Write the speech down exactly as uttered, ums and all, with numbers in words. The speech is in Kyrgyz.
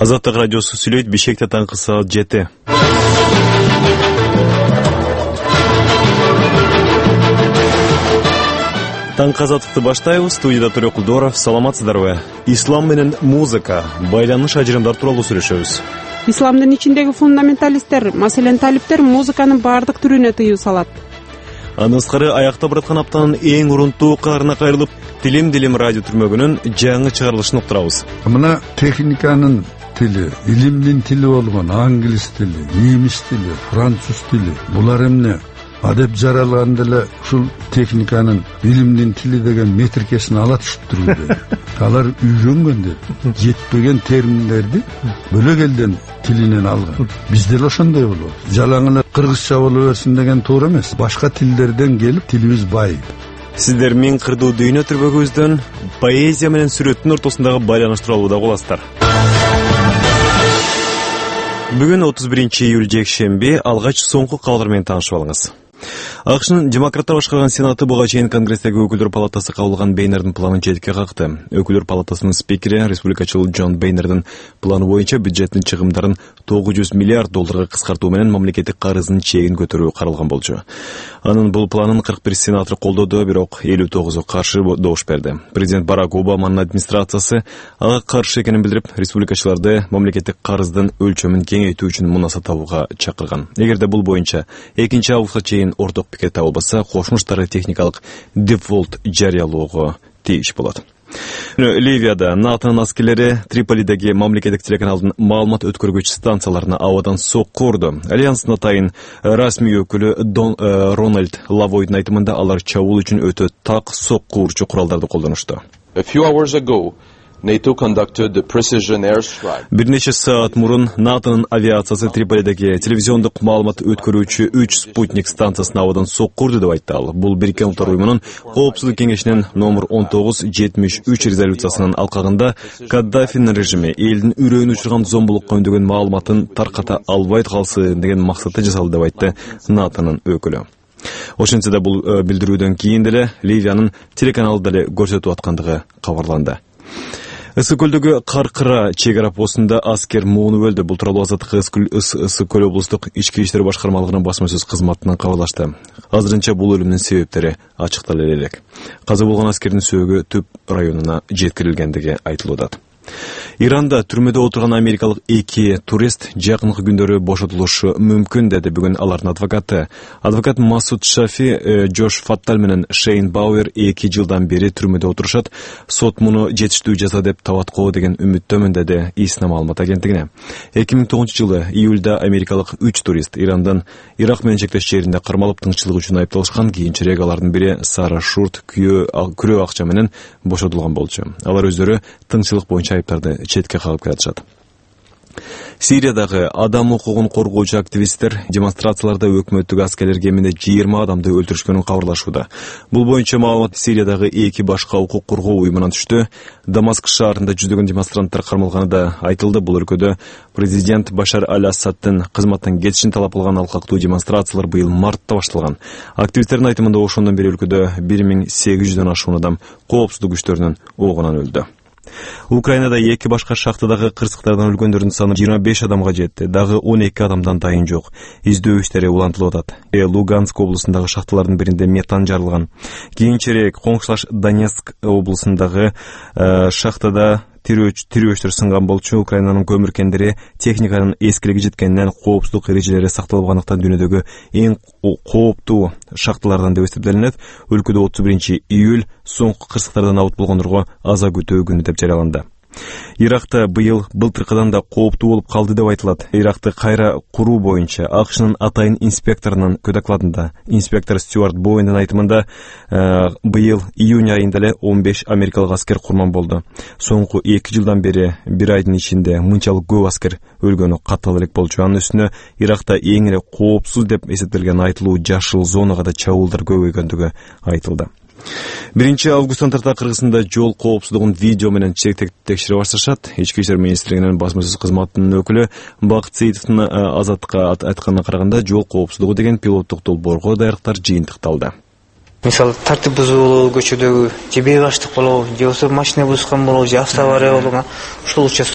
Азаттык радиосу сүйлөйт. Бишкекте таңкы саат жети. Таңкы азаттыкты баштайбыз. Студияда Төрөк Кулдоров. Саламатсыздарбы? Ислам менен музыка, байланыш ажырымдар тууралуу сүйлөшөбүз. Исламдын ичиндеги фундаменталисттер, маселен талиптер, музыканын баардык түрүнө тыюу салат. Анысқары аякта бараткан аптанын эң урунтуу каарына кайрылып, Тилим-дилим радио түрмөгүнүн жаңы чыгарылышын уктурабыз. Мына техниканын тили, илимдин тили болгон англис тили, немис тили, француз тили. Булар эмне? Адеп жаралган деле ушул техниканын илимдин тили деген метрикесин ала түшүп турду. Алар үйрөнгөндөр, жетпеген терминдерди бөлөк элден тилинен алган. Бизде эле ошондой болот. Жалаң эле кыргызча боло берсин деген туура эмес. Башка тилдерден келип тилибиз байып. Сиздер миң кырдуу дүйнө түрбөгүбүздөн поэзия менен сүрөттүн ортосундагы байланыш тууралуу да угуласыздар. Бүгүн отуз биринчи июль жекшемби, алгач соңку кабарлар менен таанышып алыңыз. АКШнын демократтар башкарган Сенаты буга чейин Конгресстеги өкүлдөр палатасы кабыл алган Бейнердин планын четке какты. Өкүлдөр палатасынын спикери, республикачыл Джон Бейнердин планы боюнча бюджеттин чыгымдарын тогуз жүз миллиард долларга кыскартуу менен мамлекеттик карыздын чегин көтөрүү каралган болчу. Анын бул планын кырк бир сенатор колдоду, бирок элүү тогузу каршы добуш берди. Президент Барак Обаманын администрациясы ага каршы экенин билдирип, республикачыларды мамлекеттик карыздын өлчөмүн кеңейтүү үчүн мунаса табууга чакырган. Эгерде бул боюнча экинчи августка чейин орток пикир табылбаса, кошумуштары техникалык дефолт жарыялоого тийиш болот. Ливияда НАТОнун аскерлери Триполидеги мамлекеттик телеканалдын маалымат өткөргүч станцияларына абадан сокку урду. Альянстын атайын расмий өкүлү Дон Рональд Лавойдун айтымында алар чабуул үчүн өтө так сокку урчу куралдарды колдонушту. A few hours ago, NATO conducted the precision airstrike. Бир нече саат мурун НАТОнун авиациясы Триполидеги телевизиондук маалымат өткөрүүчү үч спутник станциясына абадан сокку урду деп айтты ал. Бул Бириккен Улуттар уюмунун Коопсуздук кеңешинин номер он тогуз жетимиш үч резолюциясынын алкагында Каддафинин режими элдин үрөйүн учурган зомбулукка үндөгөн маалыматын тарката албай калсын деген максатта жасалды деп айтты НАТОнун өкүлү. Ошентсе да бул билдирүүдөн кийин деле Ливиянын телеканалы деле көрсөтүп аткандыгы кабарланды. Ысык көлдөгү Каркыра чек ара постунда аскер муунуп өлдү. Бул тууралуу Азаттык Ысык көл облустук ички иштер башкармалыгынын басма сөз кызматынан кабарлашты. Азырынча бул өлүмдүн себептери ачыктала элек. Каза болгон аскердин сөөгү Түп районуна жеткирилгендиги айтылууда. Иранда түрмөдө отурган америкалык эки турист жакынкы күндөрү бошотулушу мүмкүн деди бүгүн алардын адвокаты. Адвокат Масуд Шафи Джош Фаттал менен Шейн Бауэр эки жылдан бери түрмөдө отурушат. Сот муну жетиштүү жаза деп табаткоо деген үмүттөмүн деди Исна маалымат агенттигине. эки миң тогузунчу жылы июлда америкалык үч турист Ирандан Ирак менен чектеш жеринде кармалып тыңчылык үчүн айыпталышкан. Кийинчерээк алардын бири Сара Шурт күрөө акча менен бошотулган болчу. Алар өздөрү тыңчылык боюнча айыптарды четке кагып келатышат. Сириядагы адам укугун коргоочу активисттер демонстрацияларда өкмөттүк аскерлер кеминде жыйырма адамды өлтүрүшкөнүн кабарлашууда. Бул боюнча маалымат Сириядагы эки башка укук коргоо уюмунан түштү. Дамаск шаарында жүздөгөн демонстранттар кармалганы да айтылды. Бул өлкөдө президент Башар аль-Асаддын кызматтан кетишин талап кылган алкактуу демонстрациялар быйыл мартта башталган. Активисттердин айтымында ошондон бери өлкөдө бир миң сегиз жүздөн ашуун адам коопсуздук күчтөрүнүн оогунан өлдү. Украинада эки башка шахтадагы кырсыктардан өлгөндөрдүн саны жыйырма беш адамга жетти. Дагы он эки адамдан дайын жок. Издөө иштери улантылып атат. Э Луганск облусундагы шахталардын биринде метан жарылган. Кийинчерээк коңшулаш Донецк облусундагы шахтада тирөөчтөр сынган болчу. Украинанын көмүр кендери техниканын эскилиги жеткенинен коопсуздук эрежелери сакталбагандыктан дүйнөдөгү эң кооптуу шахталардан деп эсептелинет. Өлкөдө отуз биринчи июль соңку кырсыктардан абут болгондорго аза күтүү күнү деп жарыяланды. Иракта быйыл былтыркыдан да кооптуу болуп калды деп айтылат. Иракты кайра куруу боюнча АКШнын атайын инспекторунун докладында инспектор Стюарт Боуэндин айтымында быйыл июнь айында эле он беш америкалык аскер курман болду. Соңку эки жылдан бери бир айдын ичинде мынчалык көп аскер өлгөнү каттала элек болчу. Анын үстүнө Иракта эң эле коопсуз деп эсептелген айтылуу жашыл зонага да чабуулдар көбөйгөндүгү айтылды. биринчи августтан тарта Кыргызстанда жол коопсуздугун видео менен текшере башташат. Ички иштер министрлигинин басма сөз кызматынын өкүлү Бакыт Сейитовдун Азаттыкка айтканына караганда, жол коопсуздугу деген пилоттук долбоорго даярдыктар жыйынтыкталды. Мисалы тартип бузуу көчөдөгү же бейбаштык болобу, же болбосо машина бузган болобу, же автоавария болгон ушул участок